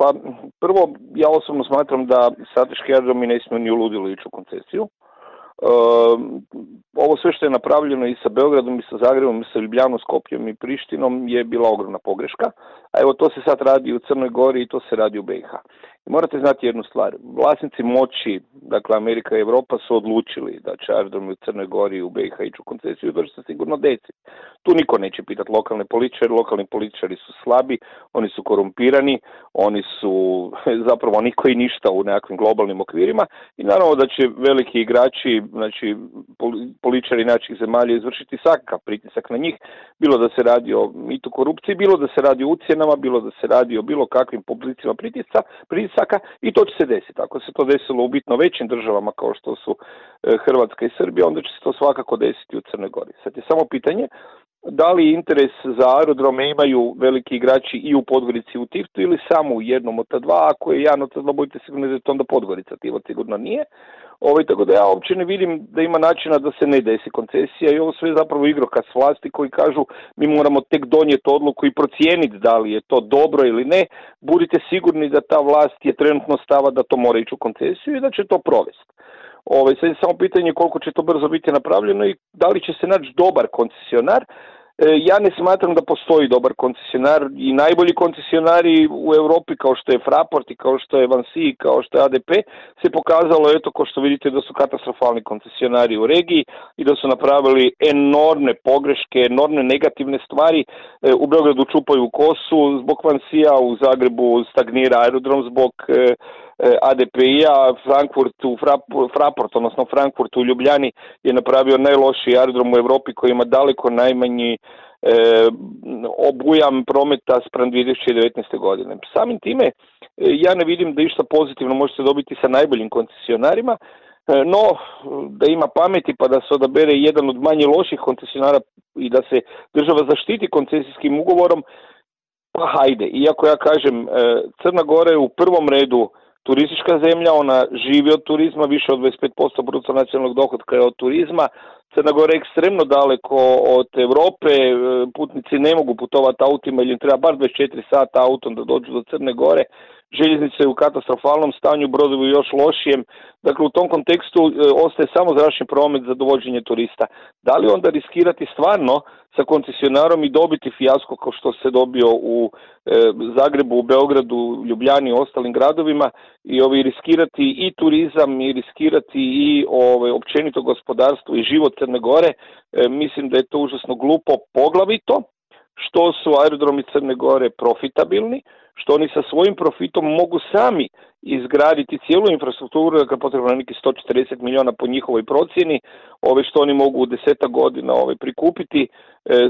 Pa prvo, ja osobno smatram da strateški aerodromi ne smiju ni u ludilu ići u koncesiju. Ovo sve što je napravljeno i sa Beogradom, i sa Zagrebom, i sa Ljubljanom, Skopjem i Prištinom je bila ogromna pogreška. A evo to se sad radi u Crnoj Gori i to se radi u BiH. I morate znati jednu stvar. Vlasnici moći, dakle Amerika i Europa, su odlučili da će aerodromi u Crnoj Gori i u BiH ići u koncesiju i da će se sigurno desiti. Tu niko neće pitati lokalni političari su slabi, oni su korumpirani, oni su zapravo niko i ništa u nekakvim globalnim okvirima i naravno da će veliki igrači, znači političari naših zemalja izvršiti svakav pritisak na njih, bilo da se radi o mitu korupciji, bilo da se radi o ucjenama, bilo da se radi o bilo kakvim publicima pritisaka i to će se desiti. Ako se to desilo u bitno većim državama kao što su Hrvatska i Srbija, onda će se to svakako desiti u Crnoj Gori. Sad je samo pitanje da li interes za aerodrome imaju veliki igrači i u Podgorici i u Tivtu ili samo u jednom od ta dva. Ako je jedan od ta dva, budite sigurni da je to onda Podgorica, Tivo sigurno nije. Tako da ja uopće ne vidim da ima načina da se ne desi koncesija i ovo sve je zapravo igrokaz vlasti koji kažu mi moramo tek donijeti odluku i procijeniti da li je to dobro ili ne. Budite sigurni da ta vlast je trenutno stava da to mora ići u koncesiju i da će to provesti. Sad je samo pitanje koliko će to brzo biti napravljeno i da li će se naći dobar koncesionar. Ja ne smatram da postoji dobar koncesionar i najbolji koncesionari u Europi kao što je Fraport i kao što je Vansi i kao što je ADP se pokazalo, kao što vidite, da su katastrofalni koncesionari u regiji i da su napravili enormne pogreške, enormne negativne stvari. U Beogradu čupaju kosu zbog Vansija, u Zagrebu stagnira aerodrom zbog ADP-a, Frankfurt u Ljubljani je napravio najlošiji aerodrom u Europi koji ima daleko najmanji obujam prometa spram 2019. godine. Samim time ja ne vidim da išta pozitivno možete dobiti sa najboljim koncesionarima, no da ima pameti pa da se odabere jedan od manje loših koncesionara i da se država zaštiti koncesijskim ugovorom, pa hajde. Iako ja kažem, Crna Gora je u prvom redu turistička zemlja, ona živi od turizma, više od 25% bruto nacionalnog dohotka je od turizma. Crna Gora je ekstremno daleko od Europe, putnici ne mogu putovati autima ili im treba bar 24 sata autom da dođu do Crne Gore. Željeznice je u katastrofalnom stanju, brodovi još lošijem. Dakle, u tom kontekstu ostaje samo zračni promet za dovođenje turista. Da li onda riskirati stvarno sa koncesionarom i dobiti fijasko kao što se dobio u Zagrebu, u Beogradu, Ljubljani i ostalim gradovima i riskirati i turizam i riskirati i općenito gospodarstvo i život Crne Gore, mislim da je to užasno glupo, poglavito što su aerodromi Crne Gore profitabilni, što oni sa svojim profitom mogu sami izgraditi cijelu infrastrukturu, dakle potrebno je neki 140 milijuna po njihovoj procjeni, što oni mogu u 10 godina prikupiti,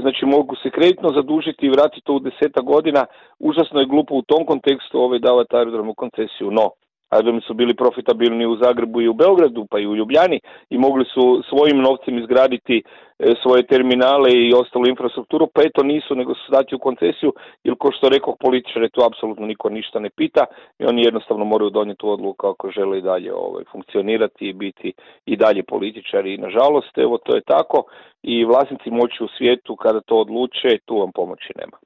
znači mogu se kreditno zadužiti i vratiti to u 10 godina. Užasno je glupo u tom kontekstu davati aerodrom u koncesiju, no aerodromi su bili profitabilni u Zagrebu i u Beogradu, pa i u Ljubljani i mogli su svojim novcem izgraditi svoje terminale i ostalu infrastrukturu, pa eto nisu, nego su dati u koncesiju, jer kao što rekao političare, tu apsolutno niko ništa ne pita i oni jednostavno moraju donijeti tu odluku ako žele i dalje funkcionirati i biti i dalje političari i nažalost, to je tako i vlasnici moći u svijetu kada to odluče, tu vam pomoći nema.